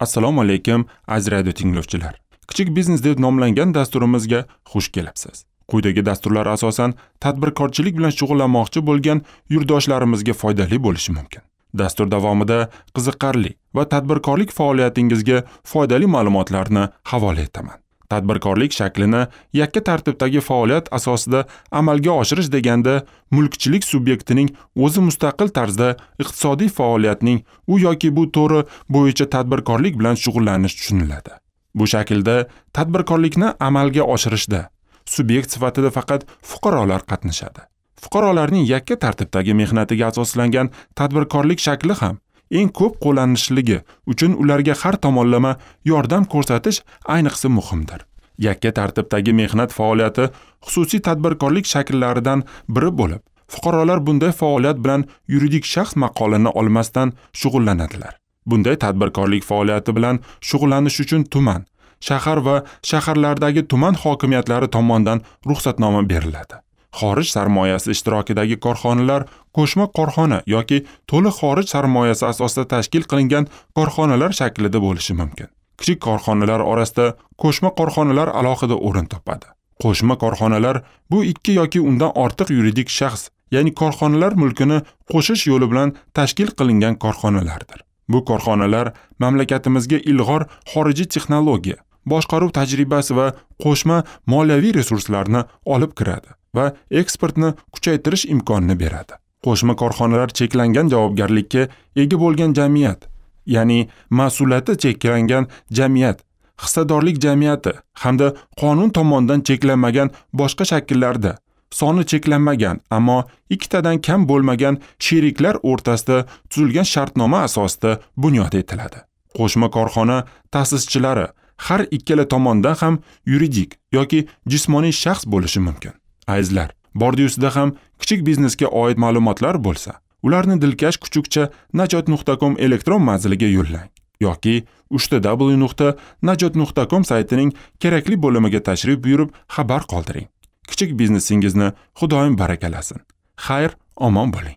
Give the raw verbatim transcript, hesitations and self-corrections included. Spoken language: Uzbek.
Assalomu alaykum, aziz radio tinglovchilar. Kichik biznes deb nomlangan dasturimizga xush kelibsiz. Quyidagi dasturlar asosan tadbirkorchilik bilan shug'ullanmoqchi bo'lgan yurtdoshlarimizga foydali bo'lishi mumkin. Dastur davomida qiziqarli va tadbirkorlik faoliyatingizga foydali ma'lumotlarni havola etaman. Tadbirkorlik shaklini yakka tartibdagi faoliyat asosida amalga oshirish deganda mulkchilik subyektining o'zi mustaqil tarzda iqtisodiy faoliyatning u yoki bu turi bo'yicha tadbirkorlik bilan shug'ullanish tushuniladi. Bu shaklda tadbirkorlikni amalga oshirishda subyekt sifatida faqat fuqarolar qatnashadi. Fuqarolarning yakka tartibdagi mehnatiga asoslangan tadbirkorlik shakli ham eng ko'p qo'llanishligi uchun ularga har tomonlama yordam ko'rsatish ayniqsa muhimdir. Yakka tartibdagi mehnat faoliyati xususiy tadbirkorlik shakllaridan biri bo'lib, fuqarolar bunday faoliyat bilan yuridik shaxs maqolini olmasdan shug'ullanadilar. Bunday tadbirkorlik faoliyati bilan shug'ullanish uchun tuman, shahar va shaharlardagi tuman hokimiyatlari tomonidan ruxsatnoma beriladi. Xorij sarmoyasi ishtirokidagi korxonalar qo'shma korxona yoki to'liq xorij sarmoyasi asosida tashkil qilingan korxonalar shaklida bo'lishi mumkin. Kichik korxonalar orasida qo'shma korxonalar alohida o'rin topadi. Qo'shma korxonalar bu ikki yoki undan ortiq yuridik shaxs, ya'ni korxonalar mulkini qo'shish yo'li bilan tashkil qilingan korxonalardir. Bu korxonalar mamlakatimizga ilg'or xorijiy texnologiya, boshqaruv tajribasi va qo'shma moliyaviy resurslarni olib kiradi va eksportni kuchaytirish imkonini beradi. Qo'shma korxonalar cheklangan javobgarlikka ega bo'lgan jamiyat, ya'ni mas'uliyati cheklangan jamiyat, hissadorlik jamiyati hamda qonun tomonidan cheklanmagan boshqa shakllarda soni cheklanmagan, ammo ikkitadan kam bo'lmagan sheriklar o'rtasida tuzilgan shartnoma asosida bunyod etiladi. Qo'shma korxona ta'sischilari har ikkala tomondan ham yuridik yoki jismoniy shaxs bo'lishi mumkin. Azizlar, bordi-yusida ham kichik biznesga oid ma'lumotlar bo'lsa, ularni dilkash kuchukcha najot nuqta com elektron manziliga yo'llang yoki uchta w nuqta najot nuqta com saytining kerakli bo'limiga tashrif buyurib xabar qoldiring. Kichik biznesingizni Xudoyim barakalasin. Xayr, omon bo'ling.